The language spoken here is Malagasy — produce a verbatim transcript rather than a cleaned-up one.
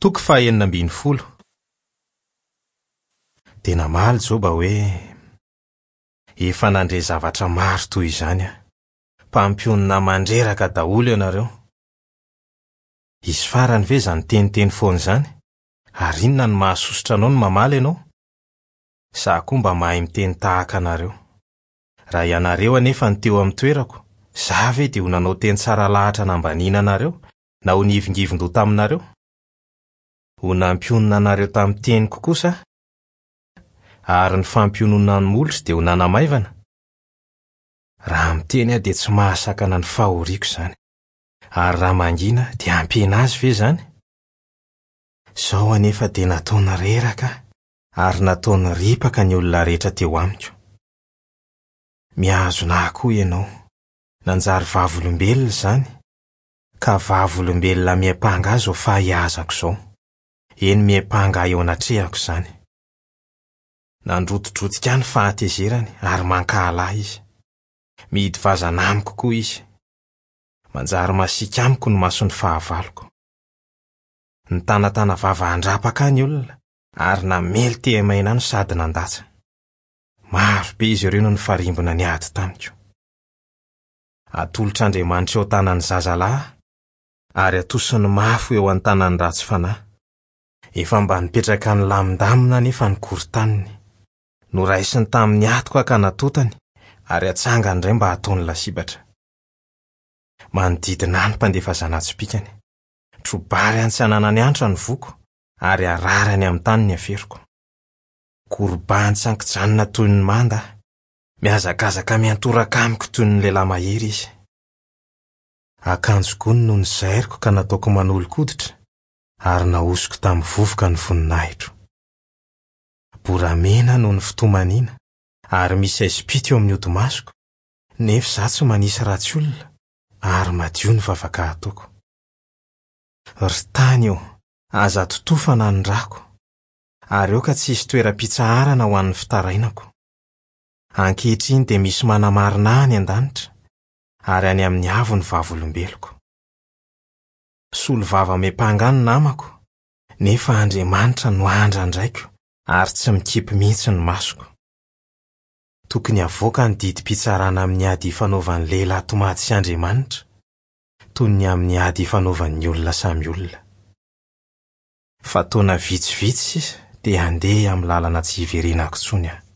Toko fahenina ambin'ny folo. Dia namaly Joba hoe: "Efa nandre zavatra maro toy izany aho. Mpampionona mandreraka daholo ianareo. Hisy farany ve izany teniteny foana izany? Ary inona no mahasosotra anao no mamaly ianao? Izaho koa mba mahay miteny tahaka anareo. Raha ianareo anefa no teo amin'ny toerako, izaho ve dia ho nanao teny tsara lahatra nambaniana anareo na ho nihivingivin-doha taminareo? Ho nampionona anareo tamin'ny teniko kosa aho, ary ny fampiononana ny molotro dia ho nanamaivana. Raha miteny aho dia tsy mahasakana ny fahoriako izany, ary raha mangina dia hampihena azy ve izany? Izao anefa dia nataony reraka aho, ary nataony ripaka ny olona rehetra teo amiko. Mihazona ahy koa ianao, nanjary vavolombelona izany, ka vavolombelona miampanga ahy izao fahaiazako izao. Eny, miampanga ahy eo anatrehako izany. Nandrotidrotika ahy ny fahatezerany ary mankahala ahy izy. Mihidy vazana amiko koa izy. Manjary masiaka amiko ny mason'ny fahavaloko. Nitanatana vava handrapaka ahy ny olona ary namely tehamaina ahy no sady nandatsa. Maro be izy ireo no nifarimbona niady tamiko. Atolotr'Andriamanitra eo an-tanan'ny zazalahy ary atosiny mafy ho eo an-tanan'ny ratsy fanahy. Efa mba nipetraka nilamindamina anefa ny korontaniny. Noraisiny tamin'ny hatoka ka natotany ary atsangany indray mba hataony lasibatra. Manodidina ahy ny mpandefa zana-tsipìkany. Trobary any tsy ananany antra ny voko ary ararany amin'ny tany ny aferoko. Korobahany tsy ankijanona toy ny manda aho. Mihazakazaka miantoraka amiko toy ny lehilahy mahery izy. Akanjo gony no nozairiko ka nataoko manolo-koditra ary nahosiko tamin'ny vovoka ny voninahitro. Boramena noho ny fitomaniana ary misy aizim-pito eo amin'ny hodi-masoko, nefa izaho tsy manisy ratsy olona ary madio ny vavaka ataoko. Ry tany ô, aza totofana ny rako, ary aoka tsy hisy toeram-pitsaharana ho an'ny fitarainako. Ankehitriny dia misy manamarina ahy any an-danitra, ary any amin'ny avo ny vavolombeloko. Mpisolo vava miampanga ahy ny namako, nefa Andriamanitra no andrandraiko ary tsy mikipy mihitsy ny masoko. Tokony havoaka ny didim-pitsarana amin'ny ady ifanaovan'ny lehilahy tomady sy Andriamanitra, toy ny amin'ny ady ifanaovan'ny olona samy olona. Fa taona vitsivitsy sisa dia handeha amin'ny lalana tsy hiverenako intsony aho.